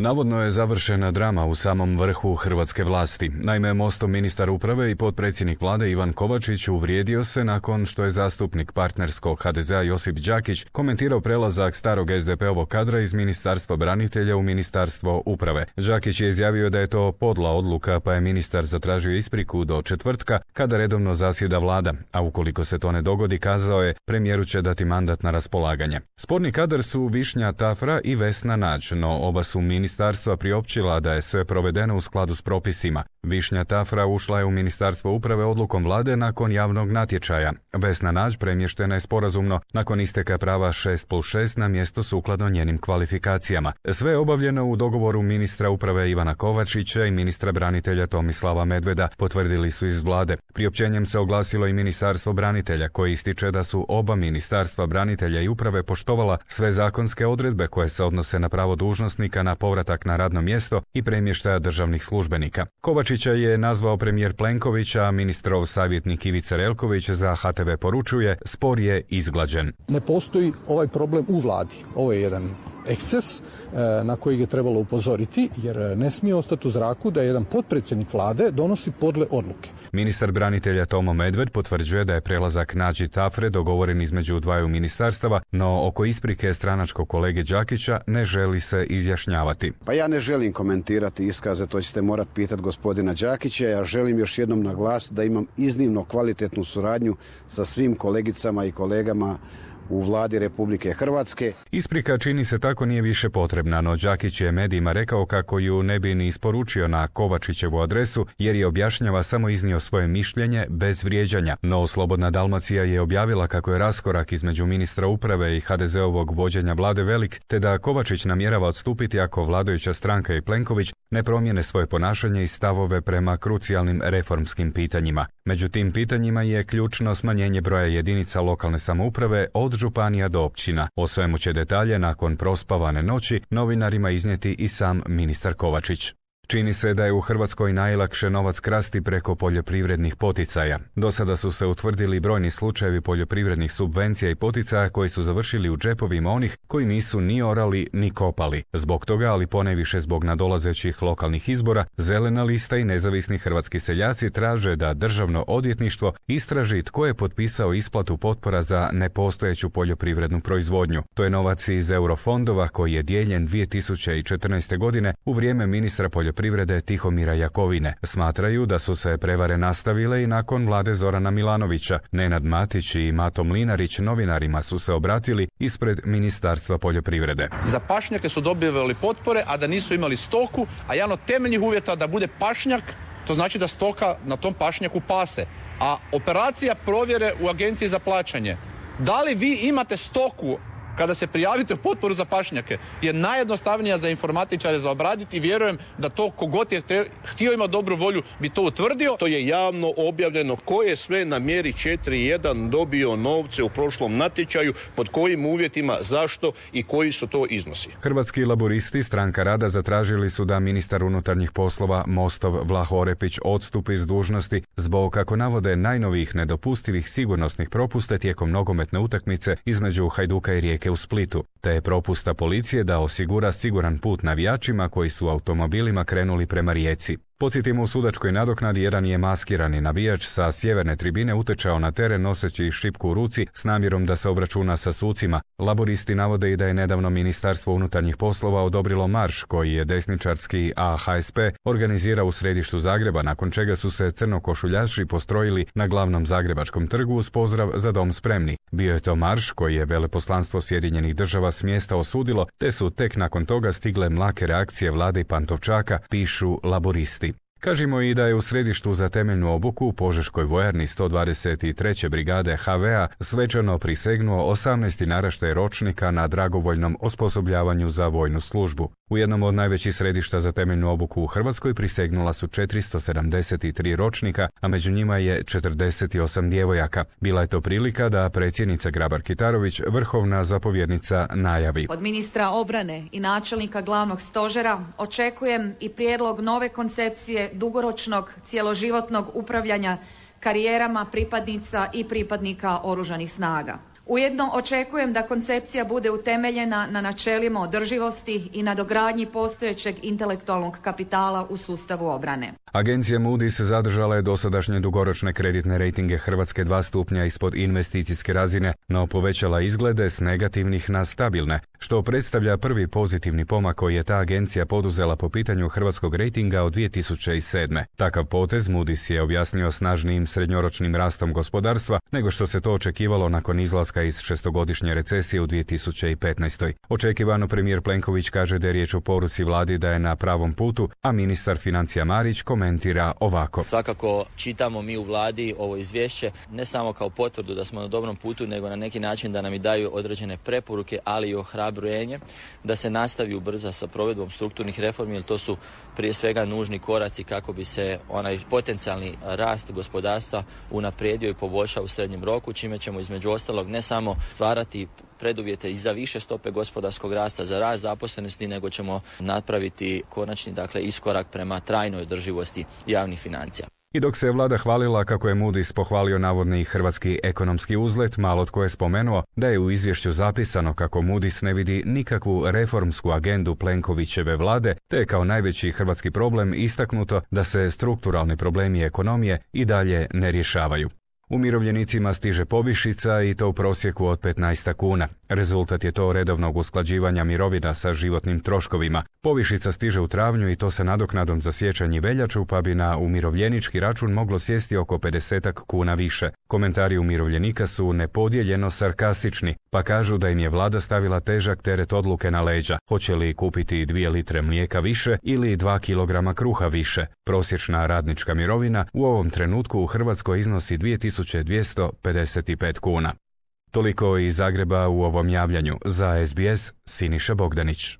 Navodno je završena drama u samom vrhu hrvatske vlasti. Naime, Mostov ministar uprave i potpredsjednik vlade Ivan Kovačić uvrijedio se nakon što je zastupnik partnerskog HDZ-a Josip Đakić komentirao prelazak starog SDP-ovog kadra iz Ministarstva branitelja u Ministarstvo uprave. Đakić je izjavio da je to podla odluka, pa je ministar zatražio ispriku do četvrtka kada redovno zasjeda vlada, a ukoliko se to ne dogodi, kazao je, premijeru će dati mandat na raspolaganje. Sporni kadar su Višnja Tafra i Vesna Nađ, no oba su ministarstva priopćila da je sve provedeno u skladu s propisima. Višnja Tafra ušla je u Ministarstvo uprave odlukom vlade nakon javnog natječaja. Vesna Nađ premještena je sporazumno nakon isteka prava 6+6 na mjesto sukladno njenim kvalifikacijama. Sve je obavljeno u dogovoru ministra uprave Ivana Kovačića i ministra branitelja Tomislava Medveda, potvrdili su iz vlade. Priopćenjem se oglasilo i Ministarstvo branitelja, koji ističe da su oba ministarstva branitelja i uprave poštovala sve zakonske odredbe koje se odnose na pravo dužnosnika na povratak na radno mjesto i premještaja državnih službenika. Kovačića je nazvao premijer Plenković, a ministrov savjetnik Ivica Relković za HTV poručuje, spor je izglađen. Ne postoji ovaj problem u vladi. Ovo je jedan eksces na koji je trebalo upozoriti, jer ne smije ostati u zraku da jedan potpredsjednik vlade donosi podle odluke. Ministar branitelja Tomo Medved potvrđuje da je prelazak Nađi Tafre dogovoren između dvaju ministarstava, no oko isprike stranačkog kolege Đakića ne želi se izjašnjavati. Pa ja ne želim komentirati iskaze, to ćete morati pitati gospodina Đakića. Ja želim još jednom naglasiti da imam iznimno kvalitetnu suradnju sa svim kolegicama i kolegama u vladi Republike Hrvatske. Isprika čini se tako nije više potrebna, no Đakić je medijima rekao kako ju ne bi ni isporučio na Kovačićevu adresu, jer je objašnjava samo iznio svoje mišljenje bez vrijeđanja. No Slobodna Dalmacija je objavila kako je raskorak između ministra uprave i HDZ-ovog vođenja vlade velik, te da Kovačić namjerava odstupiti ako vladajuća stranka i Plenković ne promijene svoje ponašanje i stavove prema krucijalnim reformskim pitanjima. Među tim pitanjima je ključno smanjenje broja jedinica lokalne samouprave od županija do općina. O svemu će detalje nakon prospavane noći novinarima iznijeti i sam ministar Kovačić. Čini se da je u Hrvatskoj najlakše novac krasti preko poljoprivrednih poticaja. Do sada su se utvrdili brojni slučajevi poljoprivrednih subvencija i poticaja koji su završili u džepovima onih koji nisu ni orali ni kopali. Zbog toga, ali ponajviše zbog nadolazećih lokalnih izbora, Zelena lista i nezavisni hrvatski seljaci traže da Državno odvjetništvo istraži tko je potpisao isplatu potpora za nepostojeću poljoprivrednu proizvodnju. To je novac iz eurofondova koji je dijeljen 2014. godine u vrijeme ministra poljoprivrede Tihomira Jakovine. Smatraju da su se prevare nastavile i nakon vlade Zorana Milanovića. Nenad Matić i Mato Mlinarić novinarima su se obratili ispred Ministarstva poljoprivrede. Za pašnjake su dobivali potpore, a da nisu imali stoku, a jedan od temeljnih uvjeta da bude pašnjak, to znači da stoka na tom pašnjaku pase. A operacija provjere u Agenciji za plaćanje. Da li vi imate stoku kada se prijavite u potporu za pašnjake, je najjednostavnija za informatičare za obraditi i vjerujem da to kogod je htio ima dobru volju bi to utvrdio. To je javno objavljeno ko je sve na mjeri 4.1 dobio novce u prošlom natječaju, pod kojim uvjetima, zašto i koji su to iznosi. Hrvatski laburisti, Stranka rada, zatražili su da ministar unutarnjih poslova Mostov Vlaho Orepić odstupi s dužnosti zbog, kako navode, najnovijih nedopustivih sigurnosnih propusta tijekom nogometne utakmice između Hajduka i Rijeke u Splitu, te je propusta policije da osigura siguran put navijačima koji su automobilima krenuli prema Rijeci. Podsjetimo, u sudačkoj nadoknadi jedan je maskirani navijač sa sjeverne tribine utečao na teren noseći šipku u ruci s namjerom da se obračuna sa sucima. Laburisti navode i da je nedavno Ministarstvo unutarnjih poslova odobrilo marš koji je desničarski AHSP organizirao u središtu Zagreba, nakon čega su se crnokošuljaši postrojili na glavnom zagrebačkom trgu uz pozdrav Za dom spremni. Bio je to marš koji je veleposlanstvo Sjedinjenih država s mjesta osudilo, te su tek nakon toga stigle mlake reakcije vlade i Pantovčaka, pišu laburisti. Kažimo i da je u središtu za temeljnu obuku u Požeškoj vojarni 123. brigade HV-a svečano prisegnuo 18. naraštaj ročnika na dragovoljnom osposobljavanju za vojnu službu. U jednom od najvećih središta za temeljnu obuku u Hrvatskoj prisegnula su 473 ročnika, a među njima je 48 djevojaka. Bila je to prilika da predsjednica Grabar-Kitarović, vrhovna zapovjednica, najavi. Od ministra obrane i načelnika glavnog stožera očekujem i prijedlog nove koncepcije dugoročnog cjeloživotnog upravljanja karijerama pripadnica i pripadnika Oružanih snaga. Ujedno očekujem da koncepcija bude utemeljena na načelima održivosti i nadogradnji postojećeg intelektualnog kapitala u sustavu obrane. Agencija Moody's zadržala je dosadašnje dugoročne kreditne rejtinge Hrvatske 2 stupnja ispod investicijske razine, no povećala izglede s negativnih na stabilne, što predstavlja prvi pozitivni pomak koji je ta agencija poduzela po pitanju hrvatskog rejtinga od 2007. Takav potez Moody's je objasnio snažnijim srednjoročnim rastom gospodarstva nego što se to očekivalo nakon izlaska iz šestogodišnje recesije u 2015. Očekivano premijer Plenković kaže da je riječ o poruci vladi da je na pravom putu, a ministar financija Marić komentira ovako. Svakako čitamo mi u vladi ovo izvješće ne samo kao potvrdu da smo na dobrom putu, nego na neki način da nam i daju određene preporuke, ali i ohrabrenje da se nastavi ubrza sa provedbom strukturnih reformi, jer to su prije svega nužni koraci kako bi se onaj potencijalni rast gospodarstva unaprijedio i poboljšao u srednjem roku, čime ćemo između ostalog ne samo stvarati preduvjete i za više stope gospodarskog rasta, za rast zaposlenosti, nego ćemo napraviti konačni iskorak prema trajnoj održivosti javnih financija. I dok se vlada hvalila kako je Moody's pohvalio navodni hrvatski ekonomski uzlet, malo tko je spomenuo da je u izvješću zapisano kako Moody's ne vidi nikakvu reformsku agendu Plenkovićeve vlade, te je kao najveći hrvatski problem istaknuto da se strukturalni problemi ekonomije i dalje ne rješavaju. Umirovljenicima stiže povišica i to u prosjeku od 15 kuna. Rezultat je to redovnog usklađivanja mirovina sa životnim troškovima. Povišica stiže u travnju i to sa nadoknadom za siječanj i veljaču, pa bi na umirovljenički račun moglo sjesti oko 50 kuna više. Komentari umirovljenika su nepodijeljeno sarkastični, pa kažu da im je vlada stavila težak teret odluke na leđa. Hoće li kupiti 2 litre mlijeka više ili 2 kilograma kruha više? Prosječna radnička mirovina u ovom trenutku u Hrvatskoj iznosi 2255 kuna. Toliko iz Zagreba u ovom javljanju. Za SBS, Siniša Bogdanić.